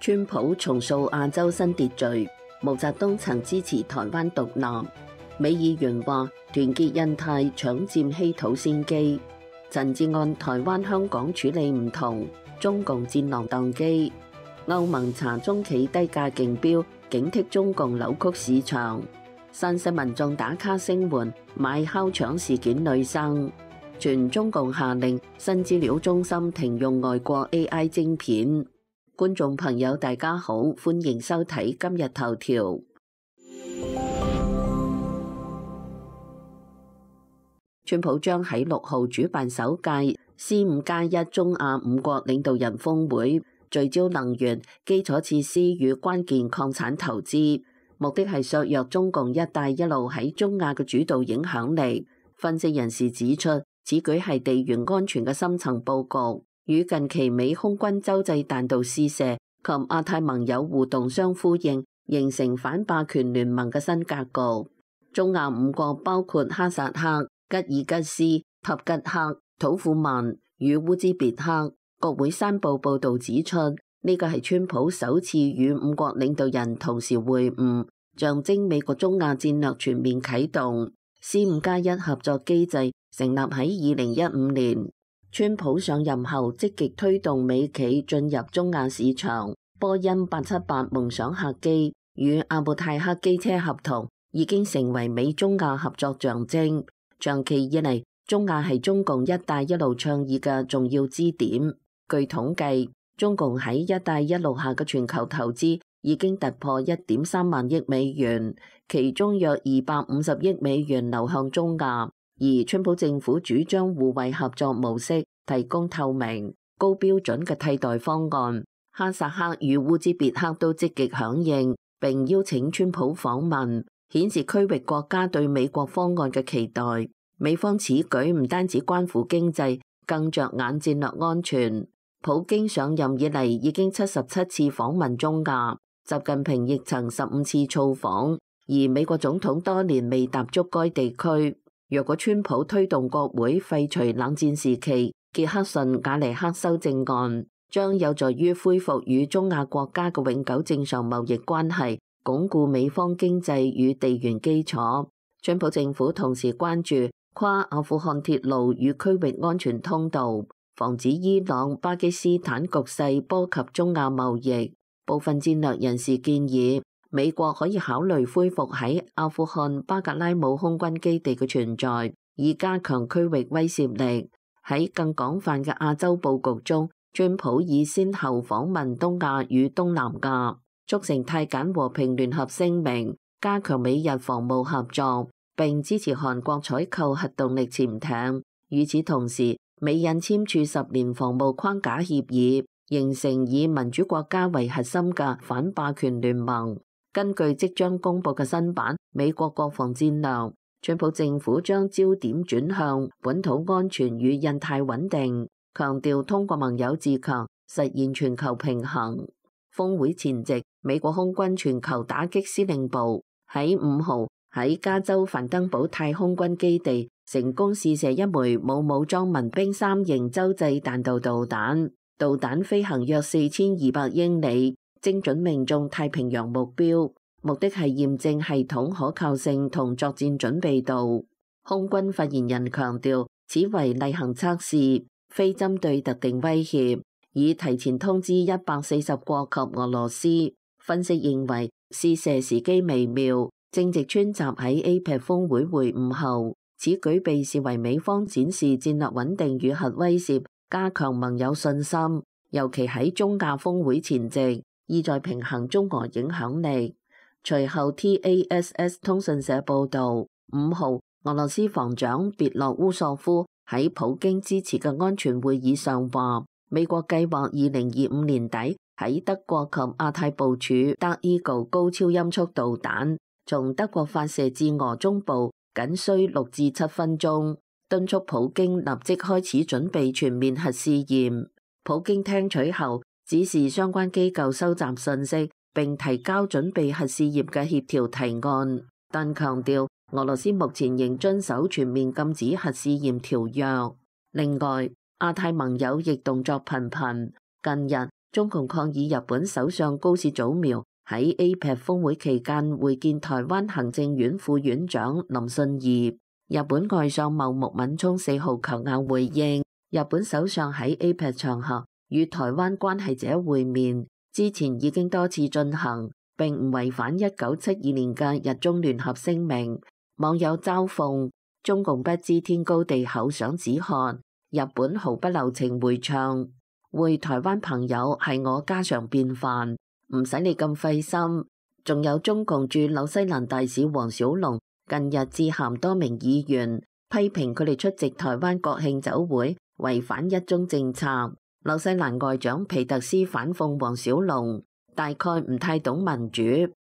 川普重塑亞洲新秩序，毛澤東曾支持台灣獨立。美議員話團結印太搶佔稀土先機。陳志按台灣香港處理唔同，中共戰狼宕機。歐盟查中企低價競標，警惕中共扭曲市場。山西民眾打卡聲援買烤腸事件女生。全中共下令新資料中心停用外國 AI 晶片。觀眾朋友大家好，歡迎收睇今日頭條。川普將喺6號主辦首屆 C5+1 中亞5國領導人峰會，聚焦能源、基礎設施與關鍵礦產投資，目的係削弱中共一帶一路喺中亞嘅主導影響力。分析人士指出，此舉係地緣安全嘅深層佈局，與近期美空軍洲際彈道試射及亞太盟友互動相呼應，形成反霸權聯盟嘅新格局。中亞5國包括哈薩克、吉爾吉斯、塔吉克、土庫曼與烏茲別克。國會山報報導指出，呢個係川普首次與5國領導人同時會晤，象徵美國中亞戰略全面啟動。C5+1 合作機制成立喺2015年。川普上任後積極推動美企進入中亞市場，波音878夢想客機與阿布泰克機車合同已經成為美中亞合作象徵。長期以嚟，中亞係中共一帶一路倡議嘅重要支點。據統計，中共喺一帶一路下嘅全球投資已經突破1.3萬億美元，其中約250億美元流向中亞。而川普政府主張互惠合作模式，提供透明、高標準嘅替代方案。哈薩克與烏茲別克都積極響應，並邀請川普訪問，顯示區域國家對美國方案嘅期待。美方此舉唔單止關乎經濟，更着眼戰略安全。普京上任以嚟已經77次訪問中亞，習近平亦曾15次造訪，而美國總統多年未踏足該地區。若果川普推動國會廢除冷戰時期傑克遜·瓦尼克修正案，將有助於恢復與中亞國家嘅永久正常貿易關係，鞏固美方經濟與地緣基礎。川普政府同時關注跨阿富汗鐵路與區域安全通道，防止伊朗、巴基斯坦局勢波及中亞貿易。部分戰略人士建議，美國可以考慮恢復喺阿富汗巴格拉姆空軍基地嘅存在，以加強區域威懾力。喺更廣泛嘅亞洲佈局中，川普已先後訪問東亞與東南亞，促成泰柬和平聯合聲明，加強美日防務合作，並支持韓國採購核動力潛艇。與此同時，美印簽署10年防務框架協議，形成以民主國家為核心嘅反霸權聯盟。根據即將公布嘅新版美國國防戰略，川普政府將焦點轉向本土安全與印太穩定，強調通過盟友自強實現全球平衡。峰會前夕，美國空軍全球打擊司令部喺5號喺加州范登堡太空軍基地成功試射一枚冇武裝民兵3型洲際彈道導彈，導彈飛行約4200英里，精準命中太平洋目標，目的係驗證系統可靠性同作戰準備度。空軍發言人強調，此為例行測試，非針對特定威脅，已提前通知140國及俄羅斯。分析認為，試射時機微妙，正值川習喺 APEC 峰會會晤後，此舉被視為美方展示戰略穩定與核威懾，加強盟友信心，尤其喺中亞峰會前夕，意在平衡中俄影響力。隨後 TASS 通訊社報導，5號俄羅斯防長別洛烏索夫喺普京支持嘅安全會議上話，美國計劃2025年底喺德國及亞太部署德伊高高超音速導彈，從德國發射至俄中部僅需6至7分鐘，敦促普京立即開始準備全面核試驗。普京聽取後，指示相關機構收集信息並提交準備核試驗嘅協調提案，但強調俄羅斯目前仍遵守全面禁止核試驗條約。另外，亞太盟友亦動作頻頻。近日，中共抗議日本首相高市早苗喺 APEC 峰會期間會見台灣行政院副院長林信義。日本外相茂木敏充4號求硬回應，日本首相喺 APEC 場合與台灣關係者會面，之前已經多次進行，並唔違反1972年嘅日中聯合聲明。網友嘲諷中共不知天高地厚想止渴，日本毫不留情回嗆，會台灣朋友係我家常便飯，唔使你咁費心。仲有中共駐紐西蘭大使黃小龍近日致函多名議員，批評佢哋出席台灣國慶酒會違反一中政策。紐西蘭外長皮特斯反諷黃小龍大概唔太懂民主，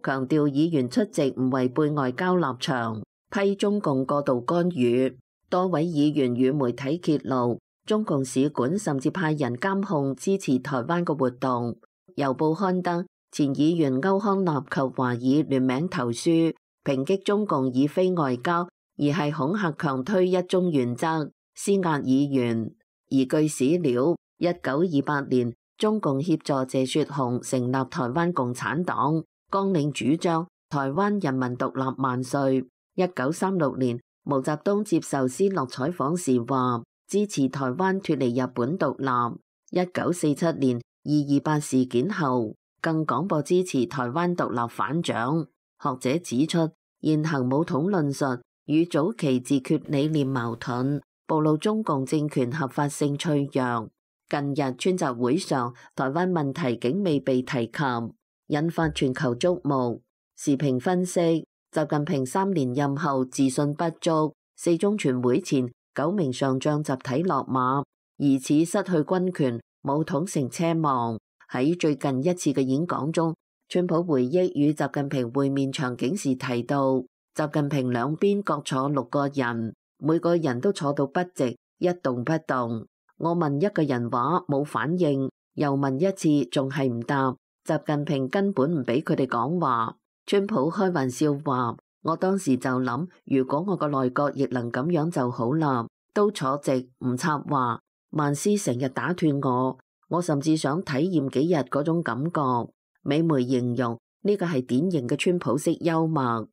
強調議員出席唔違背外交立場，批中共過度干預。多位議員與媒體揭露，中共使館甚至派人監控支持台灣嘅活動。郵報刊登前議員歐康納及華爾聯名投書，抨擊中共以非外交而係恐嚇強推一中原則，施壓議員。而據史料，1928年中共協助謝雪紅成立台灣共產黨，綱領主張台灣人民獨立萬歲。1936年毛澤東接受斯諾採訪時話，支持台灣脫離日本獨立。1947年228事件後，更廣播支持台灣獨立反蔣。學者指出，現行武統論述與早期自決理念矛盾，暴露中共政權合法性脆弱。近日川習會上，台灣問題竟未被提及，引發全球矚目。時評分析，習近平3連任後自信不足，四中全會前9名上將集體落馬，疑似失去軍權，武統成奢望。喺最近一次嘅演講中，川普回憶與習近平會面場景時提到，習近平兩邊各坐6個人，每個人都坐到筆直，一動不動。我問一個人話冇反應，又問一次仲係唔答，習近平根本唔俾佢哋講話。川普開玩笑話，我當時就諗，如果我個內閣亦能咁樣就好啦，都坐直唔插話。萬斯成日打斷我甚至想體驗幾日嗰種感覺。美媒形容呢個係典型嘅川普式幽默。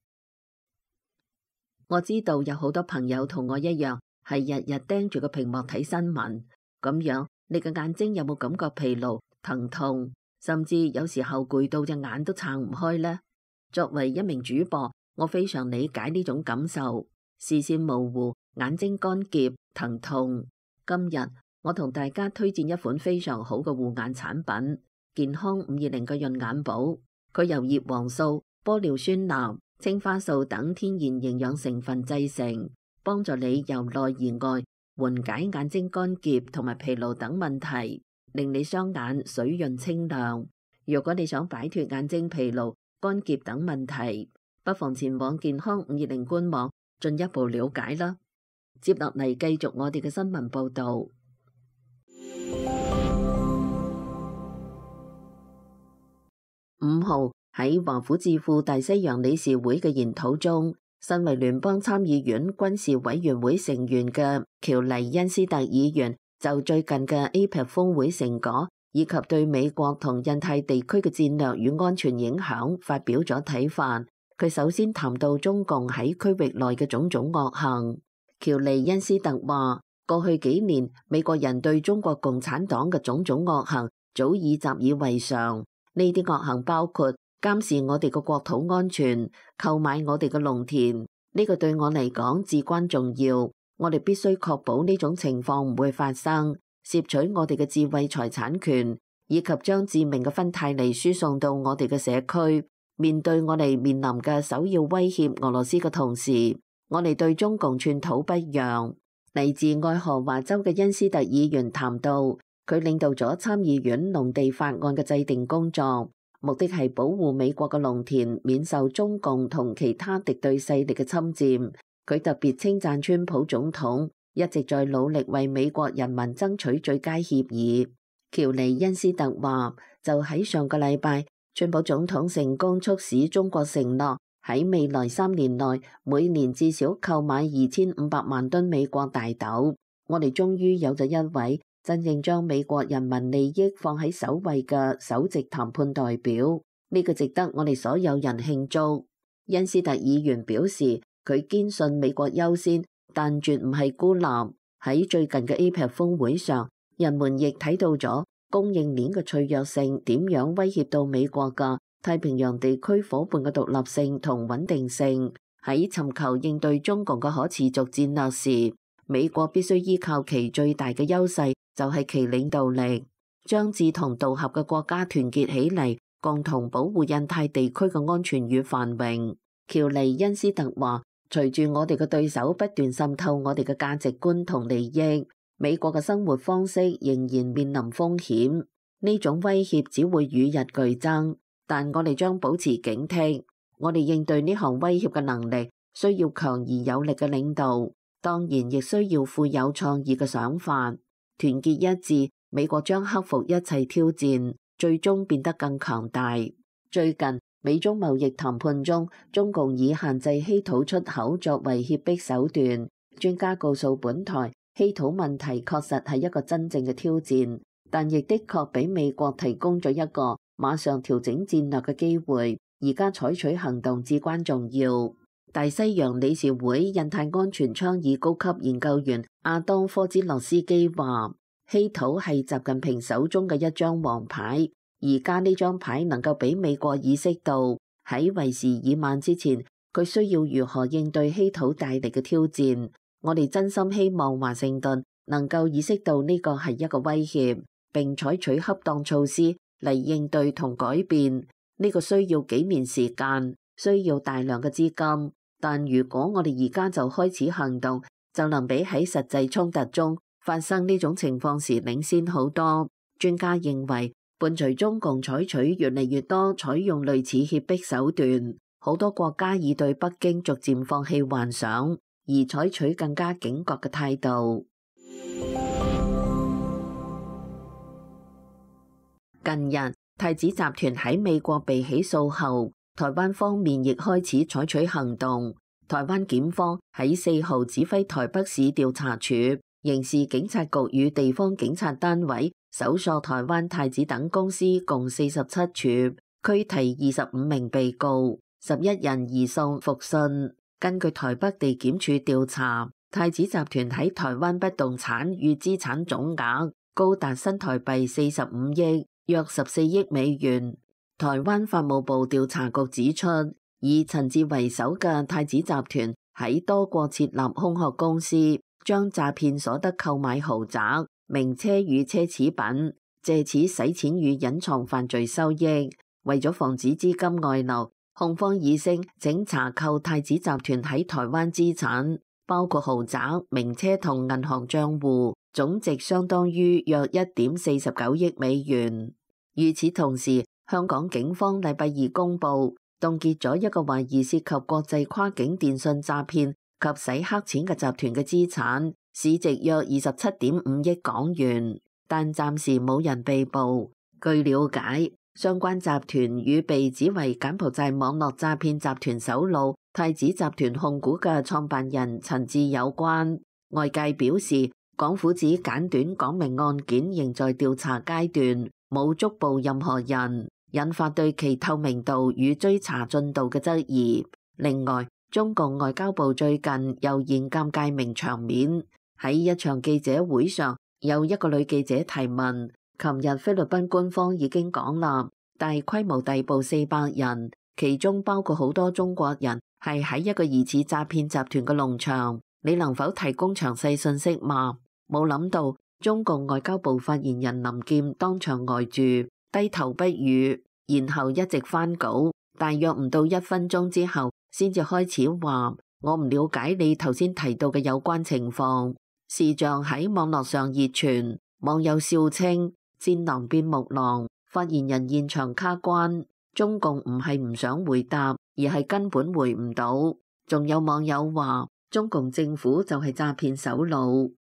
我知道有好多朋友同我一樣，係日日盯住個屏幕睇新聞，咁樣你嘅眼睛有冇感覺疲勞、疼痛，甚至有時候攰到隻眼都撐唔開呢？作為一名主播，我非常理解呢種感受，視線模糊、眼睛乾澀、疼痛。今日我同大家推薦一款非常好嘅護眼產品。健康520嘅潤眼寶，佢由葉黃素、玻尿酸鈉、青花素等天然營養成分製成，幫助你由內而外緩解眼睛乾澀同埋疲勞等問題，令你雙眼水潤清亮。如果你想擺脫眼睛疲勞、乾澀等問題，不妨前往健康520官網進一步了解啦。接落嚟繼續我哋嘅新聞報道。5號喺華府智庫大西洋理事會嘅研討中，身為聯邦參議院軍事委員會成員嘅喬黎恩斯特議員就最近嘅 APEC 峰會成果以及對美國同印太地區嘅戰略與安全影響發表咗睇法。佢首先談到中共喺區域內嘅種種惡行。喬黎恩斯特話，過去幾年美國人對中國共產黨嘅種種惡行早已習以為常。呢啲惡行包括監視我哋嘅國土安全、購買我哋嘅農田，呢個對我嚟講至關重要。我哋必須確保呢種情況唔會發生，攝取我哋嘅智慧財產權，以及將致命嘅芬太尼輸送到我哋嘅社區。面對我哋面臨嘅首要威脅俄羅斯嘅同時，我哋對中共寸土不讓。嚟自愛荷華州嘅恩斯特議員談到，佢領導咗參議院農地法案嘅制定工作，目的係保護美國嘅農田免受中共同其他敵對勢力嘅侵佔。佢特別稱讚川普總統一直在努力為美國人民爭取最佳協議。喬尼恩斯特話，就喺上個禮拜，川普總統成功促使中國承諾喺未來3年內每年至少購買2500萬噸美國大豆。我哋終於有咗一位真正將美國人民利益放喺首位嘅首席談判代表，呢個值得我哋所有人慶祝。恩斯特議員表示，佢堅信美國優先，但絕唔係孤立。喺最近嘅 APEC 峰會上，人們亦睇到咗供應鏈嘅脆弱性點樣威脅到美國嘅太平洋地區夥伴嘅獨立性同穩定性。喺尋求應對中共嘅可持續戰略時，美國必須依靠其最大嘅優勢，就係其領導力，將志同道合嘅國家團結起嚟，共同保護印太地區嘅安全與繁榮。喬尼恩斯特話，隨住我哋嘅對手不斷滲透我哋嘅價值觀同利益，美國嘅生活方式仍然面臨風險。呢種威脅只會與日俱增，但我哋將保持警惕。我哋應對呢項威脅嘅能力需要強而有力嘅領導，當然亦需要富有創意嘅想法。團結一致，美國將克服一切挑戰，最終變得更強大。最近美中貿易談判中，中共以限制稀土出口作為脅迫手段。專家告訴本台，稀土問題確實係一個真正嘅挑戰，但亦的確俾美國提供咗一個馬上調整戰略嘅機會。而家採取行動至關重要。大西洋理事會印太安全倡議高級研究員阿當科茲洛斯基話，稀土係習近平手中嘅一張王牌。而家呢張牌能夠俾美國意識到喺為時已晚之前，佢需要如何應對稀土帶嚟嘅挑戰。我哋真心希望華盛頓能夠意識到呢個係一個威脅，並採取恰當措施嚟應對同改變。呢個需要幾年時間，需要大量嘅資金。但如果我哋而家就開始行動，就能比喺實際衝突中發生呢種情況時領先好多。專家認為，伴隨中共採取越嚟越多採用類似脅迫手段，好多國家已對北京逐漸放棄幻想，而採取更加警覺嘅態度。近日，太子集團喺美國被起訴後，台灣方面亦開始採取行動。台灣檢方喺4號指揮台北市調查處、刑事警察局與地方警察單位搜索台灣太子等公司共47處，拘提25名被告，11人移送復訊。根據台北地檢署調查，太子集團喺台灣不動產與資產總額高達新台幣45億，約14億美元。台灣法務部調查局指出，以陳志為首嘅太子集團喺多國設立空殼公司，將詐騙所得購買豪宅、名車與奢侈品，借此洗錢與隱藏犯罪收益。為咗防止資金外流，控方議聲請查扣太子集團喺台灣資產，包括豪宅、名車同銀行賬戶，總值相當於約1.49億美元。與此同時，香港警方禮拜二公布凍結咗一個懷疑涉及國際跨境電信詐騙及洗黑錢嘅集團嘅資產，市值約27.5億港元，但暫時冇人被捕。據了解，相關集團與被指為柬埔寨網絡詐騙集團首腦太子集團控股嘅創辦人陳志有關。外界表示，港府指簡短講明案件仍在調查階段，冇捉捕任何人，引發對其透明度與追查進度嘅質疑。另外，中共外交部最近又現尷尬名場面，喺一場記者會上，有一個女記者提問，琴日菲律賓官方已經講啦，大規模逮捕400人，其中包括好多中國人，係喺一個疑似詐騙集團嘅農場，你能否提供詳細信息嗎？冇諗到中共外交部發言人林劍當場呆住，低頭不語，然後一直翻稿，大約唔到1分鐘之後，先至開始話：我唔了解你頭先提到嘅有關情況。視像喺網絡上熱傳，網友笑稱戰狼變木狼，發言人現場卡關。中共唔係唔想回答，而係根本回唔到。仲有網友話：中共政府就係詐騙首腦。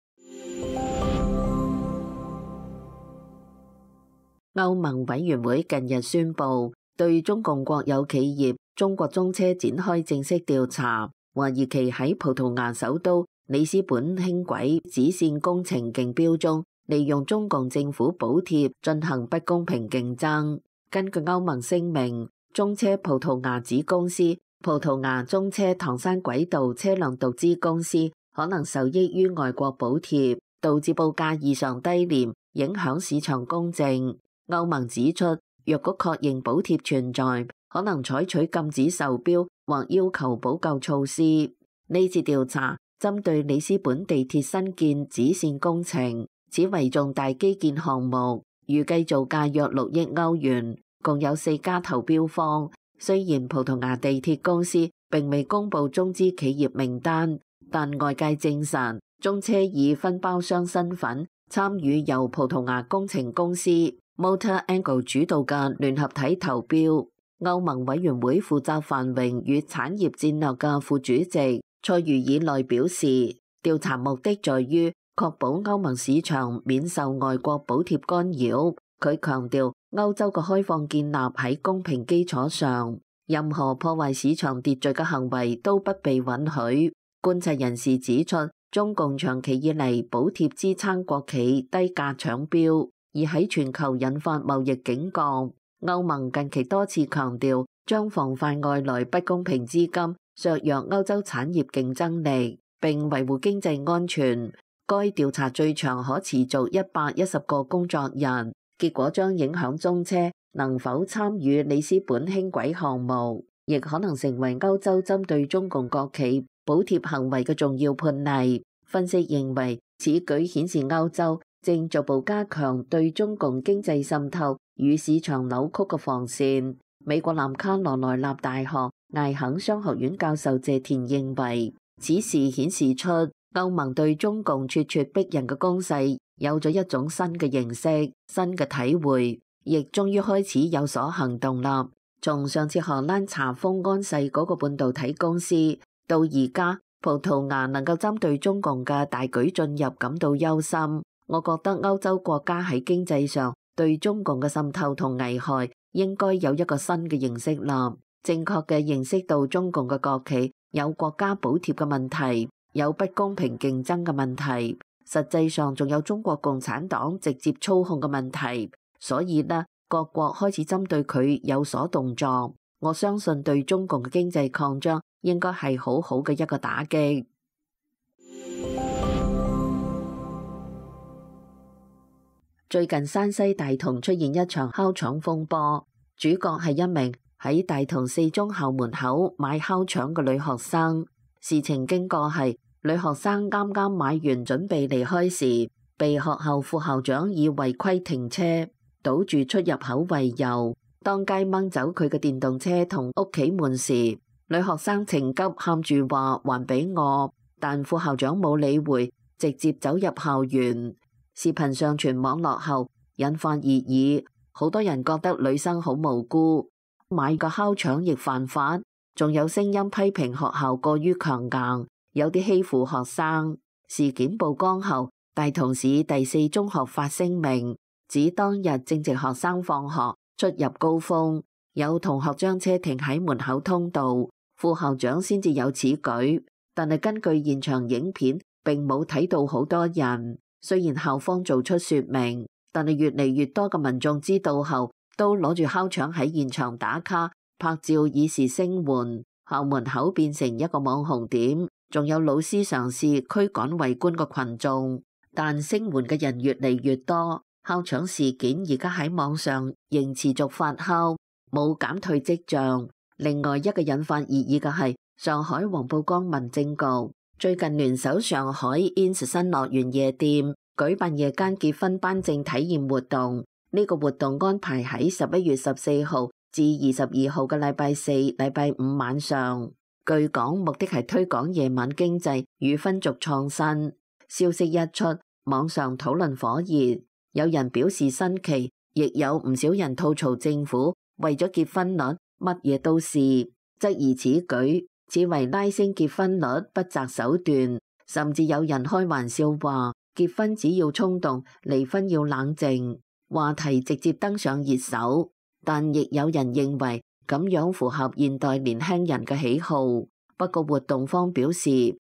歐盟委員會近日宣布，對中共國有企業中國中車展開正式調查，懷疑其喺葡萄牙首都里斯本輕軌支線工程競標中利用中共政府補貼進行不公平競爭。根據歐盟聲明，中車葡萄牙子公司葡萄牙中車唐山軌道車輛獨資公司可能受益於外國補貼，導致報價異常低廉，影響市場公正。歐盟指出，若果確認補貼存在，可能採取禁止售標或要求補救措施。呢次調查針對里斯本地鐵新建支線工程，此為重大基建項目，預計造價約6億歐元，共有4家投標方。雖然葡萄牙地鐵公司並未公布中資企業名單，但外界證實中車以分包商身份參與由葡萄牙工程公司 Motor Angle 主導嘅聯合體投標。歐盟委員會負責繁榮與產業戰略嘅副主席塞茹爾內表示，調查目的在於確保歐盟市場免受外國補貼干擾。佢強調，歐洲嘅開放建立喺公平基礎上，任何破壞市場秩序嘅行為都不被允許。觀察人士指出，中共長期以嚟補貼支撐國企低價搶標，而喺全球引發貿易警覺。歐盟近期多次強調，將防範外來不公平資金削弱歐洲產業競爭力，並維護經濟安全。該調查最長可持續110個工作日。結果將影響中車能否參與里斯本輕軌項目，亦可能成為歐洲針對中共國企補貼行為嘅重要判例。分析認為，此舉顯示歐洲正逐步加強對中共經濟滲透與市場扭曲嘅防線。美國南卡羅來納大學艾肯商學院教授謝田認為，此事顯示出歐盟對中共咄咄逼人嘅攻勢有咗一種新嘅認識、新嘅體會，亦終於開始有所行動啦。從上次荷蘭查封安碩嗰個半導體公司，到而家葡萄牙能夠針對中共嘅大舉進入感到憂心。我覺得歐洲國家喺經濟上對中共嘅滲透同危害應該有一個新嘅認識啦。正確嘅認識到中共嘅國企有國家補貼嘅問題，有不公平競爭嘅問題。實際上仲有中國共產黨直接操控嘅問題，所以呢，各國開始針對佢有所動作。我相信對中共嘅經濟擴張應該係好好嘅一個打擊。最近山西大同出現一場烤腸風波，主角係一名喺大同四中校門口買烤腸嘅女學生。事情經過係，女學生啱啱買完準備離開時，被學校副校長以違規停車、堵住出入口為由，當街掹走佢嘅電動車同屋企門時，女學生情急喊住話還俾我，但副校長冇理會，直接走入校園。視頻上傳網絡後引發熱議，好多人覺得女生好無辜，買個烤腸亦犯法，仲有聲音批評學校過於強硬，有啲欺負學生。事件曝光後，大同市第四中學發聲明，指當日正值學生放學出入高峰，有同學將車停喺門口通道，副校長先至有此舉。但係根據現場影片，並冇睇到好多人。雖然校方做出說明，但係越嚟越多嘅民眾知道後，都攞住烤腸喺現場打卡拍照以示聲援。校門口變成一個網紅點，仲有老師嘗試驅趕圍觀嘅群眾，但聲援嘅人越嚟越多。烤腸事件而家喺網上仍持續發酵，冇減退跡象。另外一個引發熱議嘅係上海黃浦江民政局最近聯手上海 Ins 新樂園夜店舉辦夜間結婚頒證體驗活動。呢個活動安排喺11月14號至22號嘅禮拜四、禮拜五晚上。據講目的係推廣夜晚經濟與婚俗創新。消息一出，網上討論火熱，有人表示新奇，亦有唔少人吐槽政府為咗結婚率乜嘢都試，質疑此舉此為拉升結婚率不擇手段，甚至有人開玩笑話結婚只要衝動，離婚要冷靜，話題直接登上熱搜。但亦有人認為咁樣符合現代年輕人嘅喜好。不過活動方表示，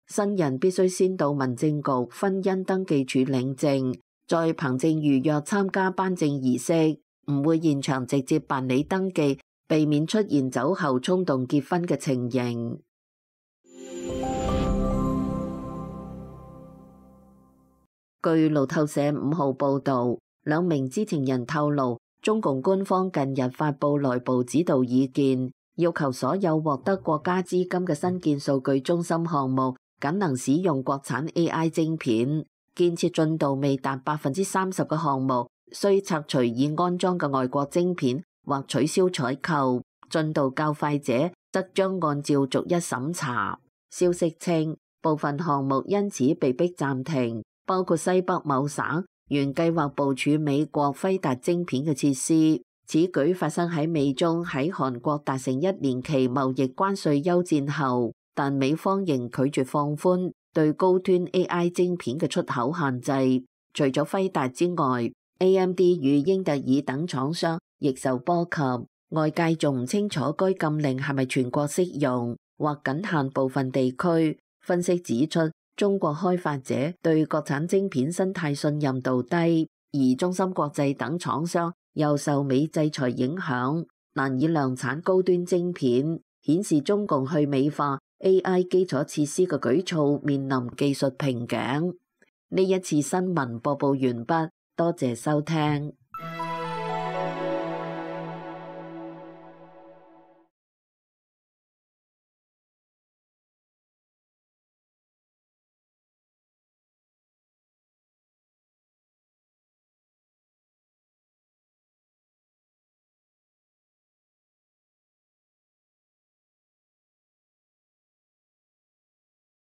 新人必須先到民政局婚姻登記處領證，再憑證預約參加頒證儀式，唔會現場直接辦理登記，避免出現酒後衝動結婚嘅情形。據路透社5號報導，兩名知情人透露，中共官方近日發布內部指導意見，要求所有獲得國家資金嘅新建數據中心項目，僅能使用國產 AI 晶片。建設進度未達30%嘅項目，需拆除已安裝嘅外國晶片或取消採購；進度較快者則將按照逐一審查。消息稱，部分項目因此被迫暫停，包括西北某省原計劃部署美國輝達晶片嘅設施。此舉發生喺美中喺韓國達成1年期貿易關稅休戰後，但美方仍拒絕放寬對高端 AI 晶片嘅出口限制。除咗輝達之外， AMD 與英特爾等廠商亦受波及。外界仲唔清楚該禁令係咪全國適用，或僅限部分地區。分析指出，中國開發者對國產晶片生態信任度低，而中芯國際等廠商又受美制裁影響，難以量產高端晶片，顯示中共去美化 AI 基礎設施嘅舉措面臨技術瓶頸。呢一次新聞播報完畢，多謝收聽。